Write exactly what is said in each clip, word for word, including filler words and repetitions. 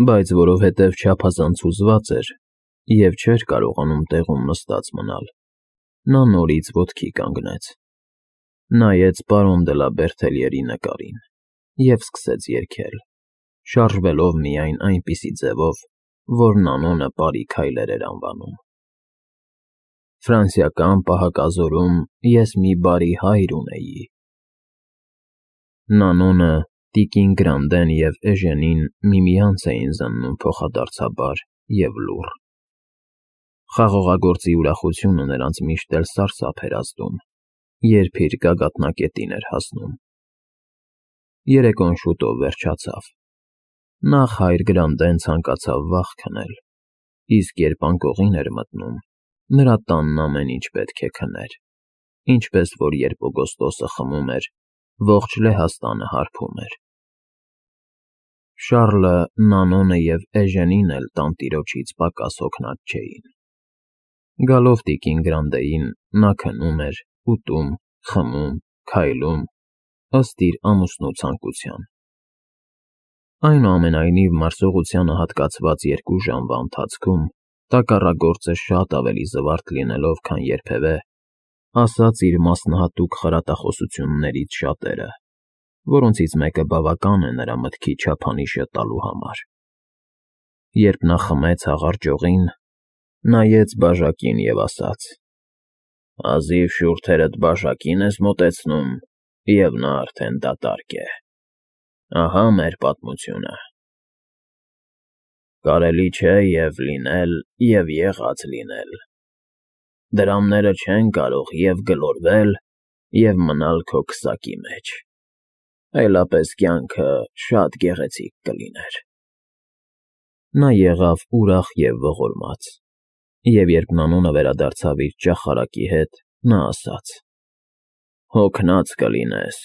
բայց որովհետև չափազանց հուզված էր և չէր կարողանում տեղում նստած մնալ, նա նորից ոտքի կանգնեց, նայեց պարոն դը լա Բերթելյերի նկարին և սկսեց երգել, շարժվելով միայն այնպիսի ձևով, որ Նանոնը պարի քայլեր էր անվանում. Ֆրանսիական պահակազորում ես մի բարի հայր ունեի… Նանոնը, տիկին Գրանդեն և Էժենին միմյանց էին զննում փոխադարձաբար և լուռ. խաղողագործի ուրախությունը նրանց միշտ էլ սարսափ էր ազդում, երբ իր գագաթնակետին էր հասնում։ Երեկոն շուտով վերջացավ. նախ հայր Գրանդեն ցանկացավ վաղ քնել, իսկ երբ անկողին էր մտնում, նրա տանն ամեն ինչ պետք է քներ, ինչպես որ երբ Օգոստոսը խմում էր, ողջ Լեհաստանը հարբում էր։ Շառլը, Նանոնը և Էժենին էլ տանտիրոջից պակաս հոգնած չէին։ Գալով տիկին Գրանդեին, նա քնում էր, ուտում, խմում, քայլում, ըստ իր ամուսնու ցանկության։ Այնուամենայնիվ, մարսողությանը հատկացված երկու ժամվա ընթացքում տակառագործը շատ ավելի զվարթ լինելով, քան երբևէ, ասաց իր մասնահատուկ խրատախոսություններից շատերը, որոնցից մեկը բավական է նրա մտքի չափանիշը տալու համար։ Երբ նա խմեց հաղարջողին, նայեց բաժակին և ասաց. «Հազիվ շուրթերդ բաժակին ես մոտեցնում, և նա արդեն դատարկ է… Ահա մեր պատմությունը… Կարելի չէ և՛ լինել, և՛ եղած լինել… Դրամները չեն կարող և՛ գլորվել, և՛ մնալ քո քսակի մեջ… Այլապես կյանքը շատ գեղեցիկ կլիներ»։ Նա եղավ ուրախ և ողորմած, և երբ Նանոնը վերադարձավ իր ճախարակի հետ, նա ասաց. «Հոգնած կլինես,֊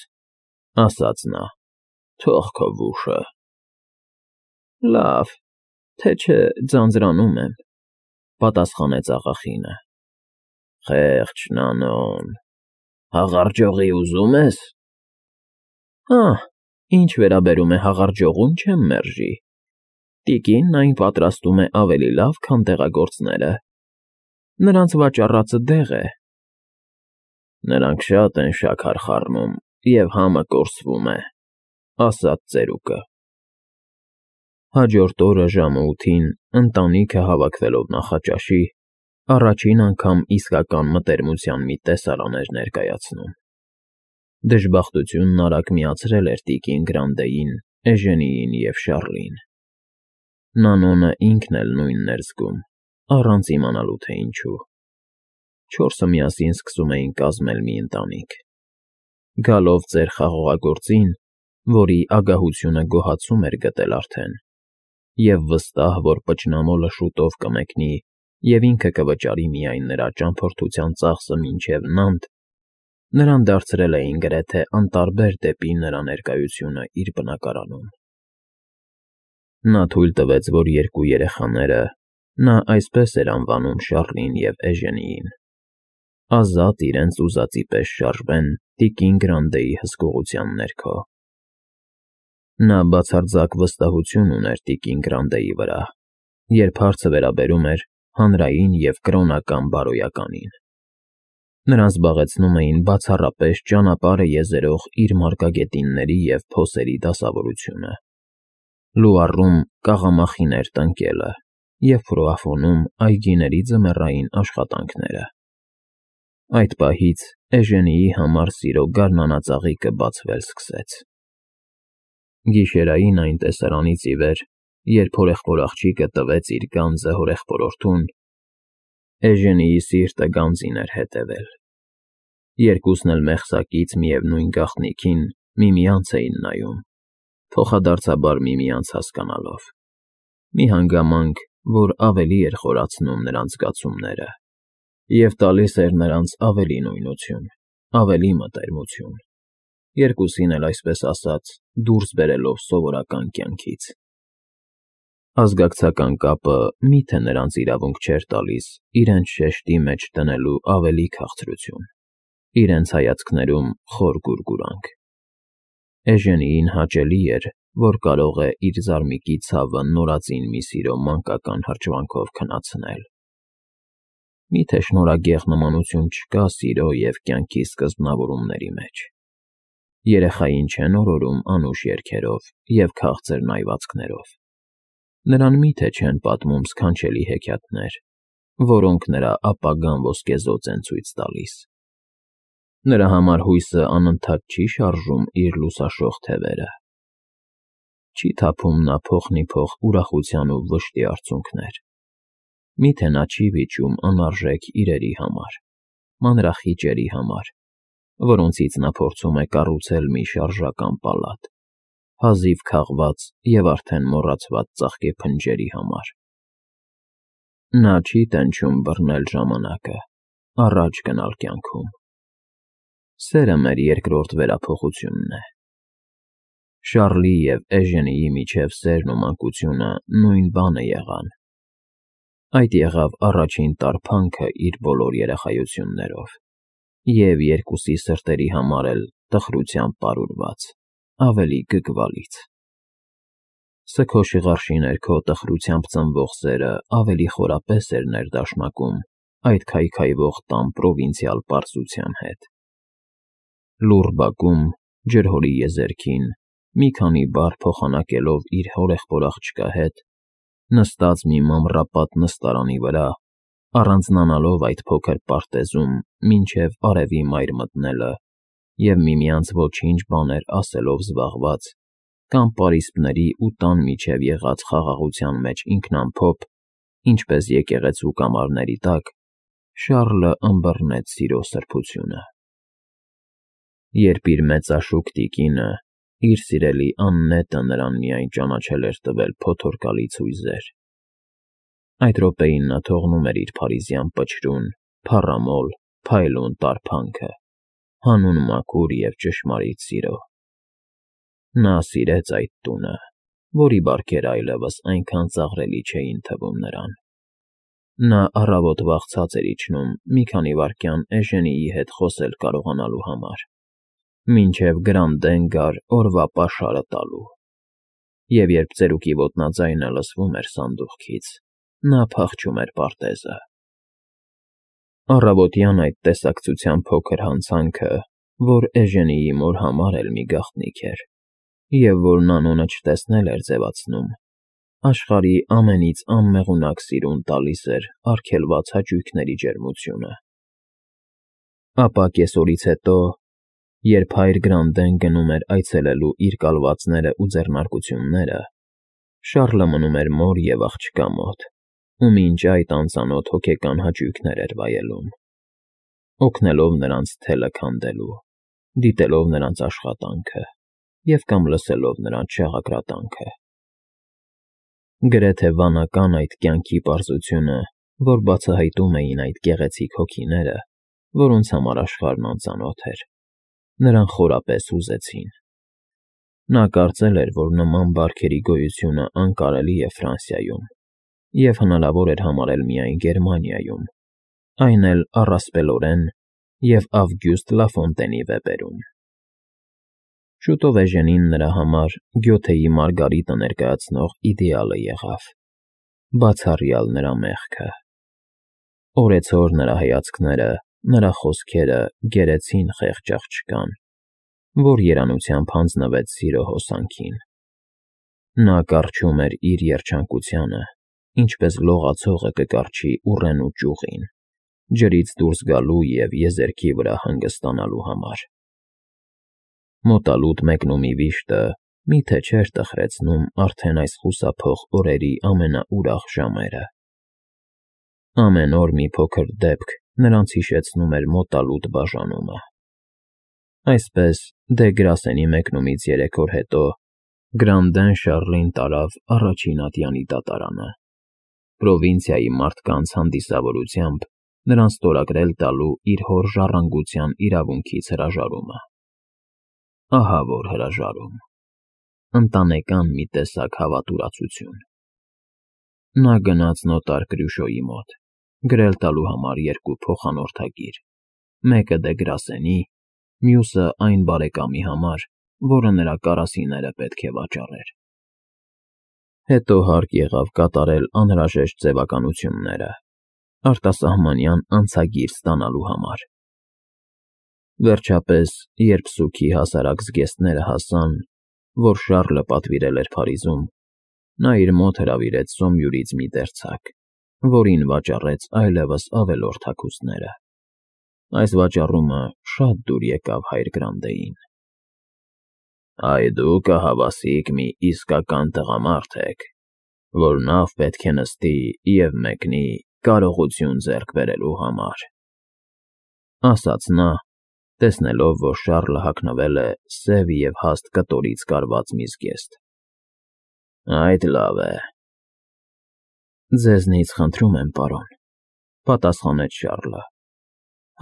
ասաց նա,֊ թող քո վուշը…»։ «Լավ, թե չէ ձանձրանում եմ,֊ պատասխանեց աղախինը։ «Խեղճ Նանոն… Հաղարջողի ուզում ես»։ «Հա, ինչ վերաբերում է հաղարջողուն, չեմ մերժի… Տիկինն այն պատրաստում է ավելի լավ, քան դեղագործները… Նրանց վաճառածը դեղ է»։ «Նրանք շատ են շաքար խառնում, և համը կորսվում է»,֊ ասաց ծերուկը։ Հաջորդ օրը ժամը ութին, ընտանիքը հավաքվելով նախաճաշի, առաջին անգամ իսկական մտերմության մի տեսարան էր ներկայացնում։ Դժբախտությունն արագ միացրել էր տիկին Գրանդեին, Էժենիին և Շառլին։ Նանոնը ինքն էլ նույնն էր զգում, առանց իմանալու, թե ինչու։ Չորսը միասին սկսում էին կազմել մի ընտանիք։ Գալով ծեր խաղողագործին, որի ագահությունը գոհացում էր գտել արդեն, և վստահ, որ պճնամոլը շուտով կմեկնի և ինքը կվճարի միայն նրա ճամփորդության ծախսը մինչև Նանտ, նրան դարձրել էին գրեթե անտարբեր դեպի նրա ներկայությունը իր բնակարանում։ Նա թույլ տվեց, որ երկու երեխաները (նա այսպես էր անվանում Շառլին և Էժենիին) ազատ իրենց ուզածի պես շարժվեն տիկին Գրանդեի հսկողության ներքո։ Նա բացարձակ վստահություն ուներ տիկին Գրանդեի վրա, երբ հարցը վերաբերում էր հանրային և կրոնական բարոյականին։ Նրան զբաղեցնում էին բացառապես ճանապարհը եզերող իր մարգագետինների և փոսերի դասավորությունը, Լուարում կաղամախիներ տնկելը և Ֆրուաֆոնում այգիների ձմեռային աշխատանքները։ Այդ պահից Էժենիի համար սիրո գարնանածաղիկը բացվել սկսեց։ Գիշերային այն տեսարանից ի վեր, երբ հորեղբոր տվեց իր գանձը հորեղբորորդուն, Էժենիի սիրտը գանձին էր հետևել։ Երկուսն էլ մեղսակից միևնույն գաղտնիքին միմյանց էին նայում, փոխադարձաբար միմյանց հասկանալով։ Մի հանգամանք, որ ավելի էր խորացնում նրանց զգացումները և տալիս էր նրանց ավելի նույնություն, ավելի մտերմություն, երկուսին էլ, այսպես ասած, դուրս բերելով սովորական կյանքից։ Ազգակցական կապը մի՞թե նրանց իրավունք չէր տալիս իրենց շեշտի մեջ դնելու ավելի քաղցրություն, իրենց հայացքներում խոր գուրգուրանք։ Էժենիին հաճելի էր, որ կարող է իր զարմիկի ցավը նորածին մի սիրո մանկական հրճվանքով քնացնել։ Միթե շնորհագեղ նմանություն չկա սիրո և կյանքի սկզբնավորումների մեջ։ Երեխային չեն օրորում անուշ երգերով և քաղցր նայվածքներով։ Նրան միթե չեն պատմում սքանչելի հեքիաթներ, որոնք նրա ապագան ոսկեզօծ են ցույց տալիս։ Նրա համար հույսը անընդհատ չի շարժում իր լուսաշող թևերը։ Չի թափում նա փոխնիփոխ ուրախության ու վշտի արցունքներ։ Միթե նա չի վիճում անարժեք իրերի համար, մանրախիճերի համար, որոնցից նա փորձում է կառուցել մի շարժական պալատ, հազիվ քաղված և արդեն մոռացված ծաղկե փնջերի համար։ Նա չի տենչում բռնել ժամանակը, առաջ գնալ կյանքում։ Սերը մեր երկրորդ վերափոխությունն է։ Շառլի և Էժենիի միջև սերն ու մանկությունը նույն բանը եղան։ Այդ եղավ առաջին տարփանքը իր բոլոր երախայություններով, և երկուսի սրտերի համար էլ տխրությամբ պարուրված, ավելի գգվալից։ Սգո շիղարշի ներքո տխրությամբ ծնվող սերը ավելի խորապես էր ներդաշնակում այդ քայքայվող տան պրովինցիալ պարզության հետ։ Լուռ բակում, ջրհորի եզերքին, մի քանի բառ փոխանակելով իր հորեղբոր աղջկա հետ, նստած մի մամռապատ նստարանի վրա, առանձնանալով այդ փոքր պարտեզում մինչև արևի մայր մտնելը և միմյանց ոչինչ բաներ ասելով զբաղված, կամ պարիսպների ու տան միջև եղած խաղաղության մեջ ինքնամփոփ, ինչպես եկեղեցու կամարների տակ, Շառլը ըմբռնեց սիրո սրբությունը։ Երբ իր մեծաշուք տիկինը, իր սիրելի Աննետը նրան միայն ճանաչել էր տվել փոթորկալի ցույզեր, այդ րոպեին նա թողնում էր իր փարիզյան պչրուն, փառամոլ, փայլուն տարփանքը, հանուն մաքուր և ճշմարիտ սիրո։ Նա սիրեց այդ տունը, որի բարքերը այլևս այնքան ծաղրելի չէին թվում նրան։ Նա առավոտ վախցած էր իջնում մի քանի վայրկյան Էժենիի հետ խոսել կարողանալու համար, մինչև Գրանդեն գար օրվա պաշարը տալու։ Եվ երբ ծերուկի ոտնաձայնը լսվում էր սանդուղքից, նա փախչում էր պարտեզը։ Առավոտյան այդ տեսակցության փոքր հանցանքը, որ Էժենիի մոր համար էլ մի գաղտնիք էր, և որ Նանոնը չտեսնել էր ձևացնում, աշխարհի ամենից անմեղունակ սիրուն տալիս էր արգելված հաճույքների ջերմությունը։ Ապա կեսօրից հետո, երբ հայր Գրանդեն գնում էր այցելելու իր կալվածները ու ձեռնարկությունները, Շառլը մնում էր մոր և աղջկա մոտ, ու մինչ այդ անծանոթ հոգեկան հաճույքներ էր վայելում, օգնելով նրանց թելը քանդելու, դիտելով նրանց աշխատանքը և կամ լսելով նրանց շաղակրատանքը։ Գրեթե վանական այդ կյանքի պարզությունը, որ բացահայտում էին այդ գեղեցիկ հոգիները, որոնց համար աշխարհն անծանոթ էր, նրան խորապես հուզեցին։ Նա կարծել էր, որ նման բարքերի գոյությունը անկարելի է Ֆրանսիայում և հնարավոր էր համարել միայն Գերմանիայում, այն էլ առասպելորեն և Ավգուստ Լաֆոնտենի վեպերում։ Շուտով Էժենին նրա համար Գյոթեի Մարգարիտը ներկայացնող իդեալը եղավ, բացառյալ նրա մեղքը։ Օրեցօր նրա հայացքները, նրա խոսքերը գերեցին խեղճ աղջկան, որ երանությամբ հանձնվեց սիրո հոսանքին։ Նա կառչում էր իր երջանկությանը, ինչպես լողացողը կկառչի ուռենու ճյուղին, ջրից դուրս գալու և եզերքի վրա հանգստանալու համար։ Մոտալուտ մեկնումի վիշտը միթե չէր տխրեցնում արդեն այս խուսափող օրերի ամենաուրախ ժամերը։ Ամեն օր մի փոքր դեպք նրանց հիշեցնում էր մոտալուտ բաժանումը։ Այսպես, դե Գրասենի մեկնումից երեք օր հետո Գրանդեն Շառլին տարավ առաջին ատյանի դատարանը, պրովինցիայի մարդկանց հանդիսավորությամբ նրան ստորագրել տալու իր հոր ժառանգության իրավունքից հրաժարումը։ Ահա որ հրաժարում, ընտանեկան մի տեսակ հավատուրացություն։ Նա գնաց նոտար Կրյուշոյի մոտ, գրել տալու համար երկու փոխանորդագիր, մեկը դե Գրասենի, մյուսը այն բարեկամի համար, որը նրա կարասիները պետք է վաճառեր։ Հետո հարկ եղավ կատարել անհրաժեշտ ձևականությունները արտասահմանյան անցագիր ստանալու համար։ Վերջապես, երբ սուգի հասարակ զգեստները հասան, որ Շառլը պատվիրել էր Փարիզում, նա իր մոտ հրավիրեց Սոմյուրից մի դերձակ, որին վաճառեց այլևս ավելորդ հագուստները։ Այս վաճառումը շատ դուր եկավ հայր Գրանդեին։ «Այ դուք ահավասիկ մի իսկական տղամարդ եք, որ նավ պետք է նստի և մեկնի կարողություն ձեռք բերելու համար», ասաց նա, տեսնելով, որ Շառլը հագնվել է սև և հաստ կտորից կարված մի զգեստ։ «Այդ լավ է»։ «Ձեզնից խնդրում եմ, պարոն», պատասխանեց Շառլը,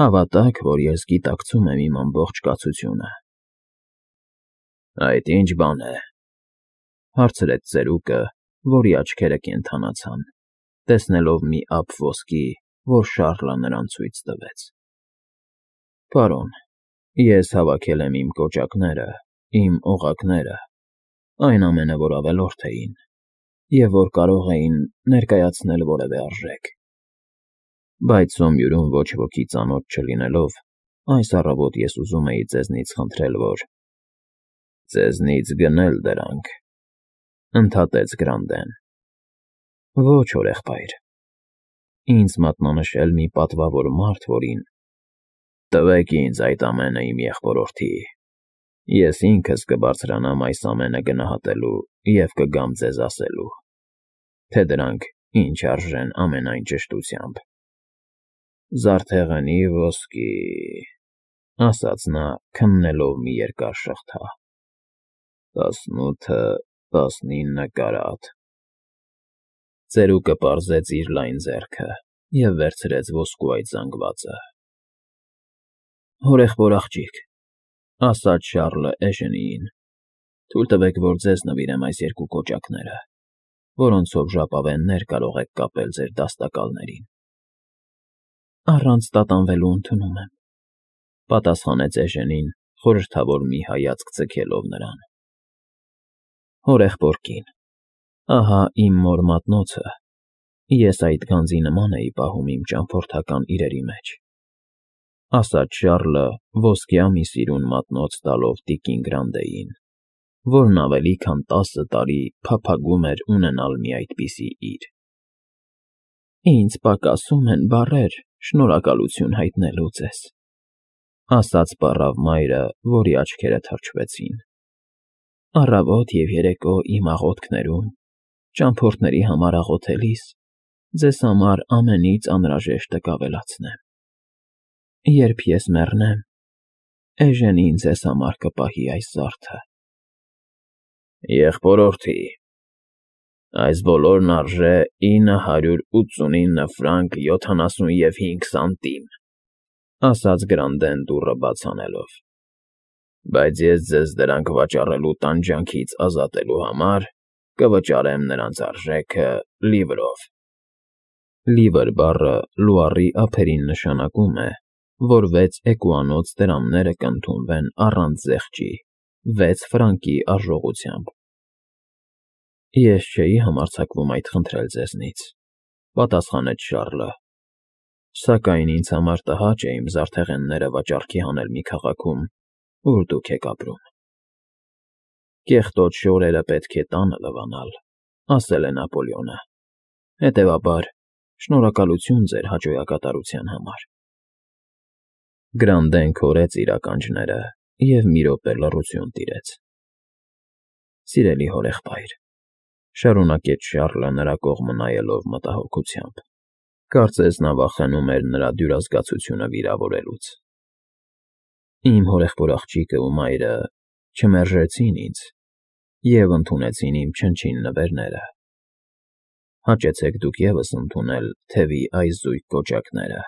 «հավատաք, որ ես գիտակցում եմ իմ ամբողջ կացությունը»։ «Այդ ի՞նչ բան է», հարցրեց ծերուկը, որի աչքերը կենդանացան, տեսնելով մի ափ ոսկի, որ Շառլը նրան ցույց տվեց։ «Պարոն, ես հավաքել եմ իմ կոճակները, իմ օղակները, այն ամենը, որ ավելորդ էին, և որ կարող էին ներկայացնել որևէ արժեք։ Բայց Սոմյուրում ոչ ոքի ծանոթ չլինելով, այս առավոտ ես ուզում էի ձեզնից խնդրել, որ…» «Ձեզնից գնել դրանք», ընդհատեց Գրանդեն։ «Ոչ, հորեղբայր, ինձ մատնանշել մի պատվավոր մարդ, որին…» «Տվեք ինձ այդ ամենը, իմ եղբորորդի, ես ինքս կբարձրանամ այս ամենը գնահատելու և կգամ ձեզ ասելու, թե դրանք ինչ արժեն ամենայն ճշտությամբ»։ «Զարդեղենի ոսկի…» ասաց նա, քննելով մի երկար շղթա։ «Տասնութը, տասնինը կարատ»։ Ծերուկը պարզեց իր լայն ձեռքը և վերցրեց ոսկու այդ զանգվածը։ «Հորեղբոր աղջիկ», ասաց Շառլը Էժենիին, «թույլ տվեք, որ ձեզ նվիրեմ այս երկու կոճակները, որոնցով ժապավեններ կարող եք կապել ձեր դաստակալներին»։ «Առանց տատանվելու ընդունում եմ», պատասխանեց Էժենին, խորհրդավոր մի հայացք ձգելով նրան։ «Հորեղբոր կին, ահա իմ մոր մատնոցը, ես այդ գանձի նման էի պահում իմ ճամփորդական իրերի մեջ», ասաց Շառլը, ոսկյա մի սիրուն մատնոց տալով տիկին Գրանդեին, որն ավելի քան տասը տարի փափագում էր ունենալ մի այդպիսի իր։ «Ինձ պակասում են բառեր շնորհակալություն հայտնելու ձեզ», ասաց պառավ մայրը, որի աչքերը թրջվեցին։ «Առավոտ և երեկո իմ աղոթքներում, ճամփորդների համար աղոթելիս, ձեզ համար ամենից անհրաժեշտը կավելացնեմ։ Երբ ես մեռնեմ, Էժենին ձեզ համար կպահի այս զարդը»։ «Եղբորորդի, այս բոլորն արժե ինը հարյուր ութսունինը ֆրանկ յոթանասունհինգ սանտիմ», ասաց Գրանդեն դուռը բաց անելով, «բայց ես ձեզ դրանք վաճառելու տանջանքից ազատելու համար կվճարեմ նրանց արժեքը լիվրով»։ Լիվր բառը լուարի ափերին նշանակում է, որ վեց էկուանոց դրամները կընդունվեն առանց զեղչի, վեց ֆրանկի արժողությամբ։ «Ես չէի համարձակվում այդ խնդրել ձեզնից», պատասխանեց Շառլը, «սակայն ինձ համար տհաճ է իմ զարդեղենները վաճառքի հանել մի քաղաքում, ուր դուք եք ապրում»։ «Կեղտոտ շորերը պետք է տանը լվանալ», ասել է Նապոլեոնը, հետևաբար շնորհակալություն ձեր հաճոյակատարության համար։ Գրանդեն քորեց իր ականջները և մի րոպե լռություն տիրեց։ «Սիրելի հորեղբայր», շարունակեց Շառլը նրա կողմը նայելով մտահոգությամբ, կարծես նա վախենում էր նրա դյուրազգացությունը վիրավորելուց, «իմ հորեղբոր աղջիկը ու մայրը չմերժեցին ինձ և ընդունեցին իմ չնչին նվերները։ Հաճեցեք դուք ևս ընդունել թևի այս զույգ կոճակները,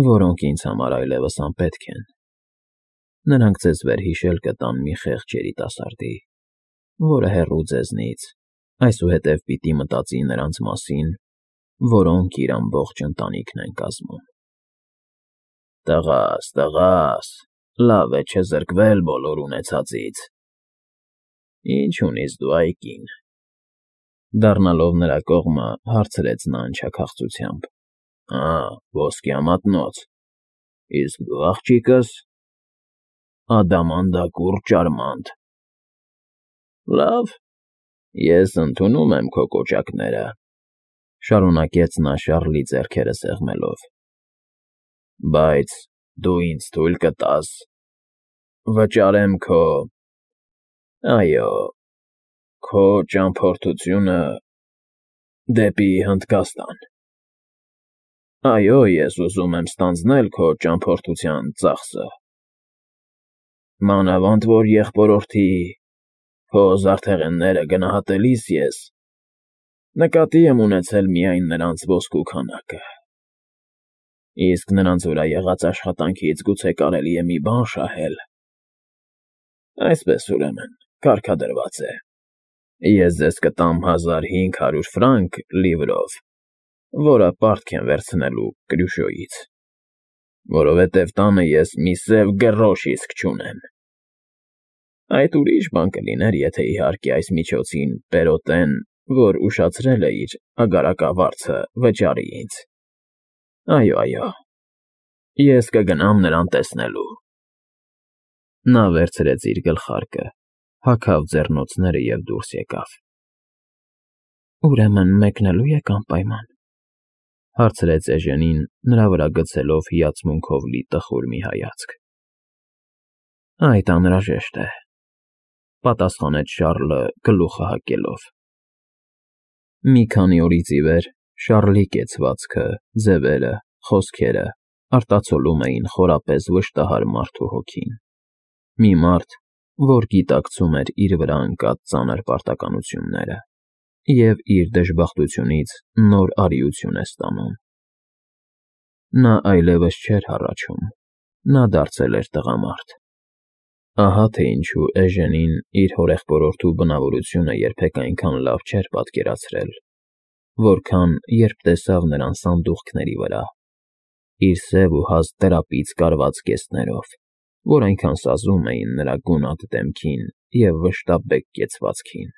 որոնք ինձ համար այլևս անպետք են։ Նրանք ձեզ վերհիշել կտան մի խեղճ երիտասարդի, որը հեռու ձեզնից, այսուհետև պիտի մտածի նրանց մասին, որոնք իր ամբողջ ընտանիքն են կազմում»։ «Տղաս, տղաս, Լավ է չզրկվել բոլոր ունեցածից։ Ինչ ունիս դու, այ կին,֊ դառնալով նրա կողմը, հարցրեց նա անչափախծությամբ։ Ա, ոսկյա մատնոց, իսկ դու, աղջիկս… Ադամանդակուռ ճարմանտ։ Լավ, ես ընդունում եմ քո կոճակները,֊ շարունակեց նա Շառլի ձեռքերը սեղմելով,֊ բայց դու ինձ թույլ կտա՞ս… վճարեմ քո… այո, քո ճամփորդությունը… դեպի Հնդկաստան… Այո, ես ուզում եմ ստանձնել քո ճամփորդության ծախսը… Մանավանդ որ եղբորորդի… քո զարդեղենները գնահատելիս ես… նկատի եմ ունեցել միայն նրանց ոսկու քանակը… Իսկ նրանց վրա եղած աշխատանքից գուցե կարելի է մի բան շահել… Այսպես, ուրեմն, կարգադրված է. ես ձեզ կտամ հազար հինգ հարյուր ֆրանկ լիվրով, որը պարտք եմ վերցնելու Կրյուշոյից, որովհետև տանը ես մի սև գրոշ իսկ չունեմ… Այդ ուրիշ բան կլիներ, եթե, իհարկե, այս միջոցին Պերոտեն, որ ուշացրել է իր ագարակավարձը, վճարի ինձ… Այո, այո, ես կգնամ նրան տեսնելու… Նա վերցրեց իր գլխարկը, հագավ ձեռնոցները և դուրս եկավ։ ֊ Ուրեմն մեկնելո՞ւ եք անպայման,֊ հարցրեց Էժենին, նրա վրա գցելով հիացմունքով լի տխուր մի հայացք։ ֊ Այդ անհրաժեշտ է,֊ պատասխանեց Շառլը գլուխը հակելով։ Մի քանի օրից ի վեր Շառլի կեցվածքը, ձևերը, խոսքերը արտացոլում էին խորապես վշտահար մարդու հոգին, մի մարդ, որ գիտակցում էր իր վրա ընկած ծանր պարտականությունները և իր դժբախտությունից նոր արիություն է ստանում։ Նա այլևս չէր հառաչում, նա դարձել էր տղամարդ։ Ահա թե ինչու Էժենին իր հորեղբորորդու բնավորությունը երբեք այնքան լավ չէր պատկերացրել, որքան երբ տեսավ նրան սանդուղքների վրա, իր սև ու հաստ տրապից կարված կեցներով, որ այնքան սազում էին նրա գունատ դեմքին և վշտաբեկ կեցվածքին։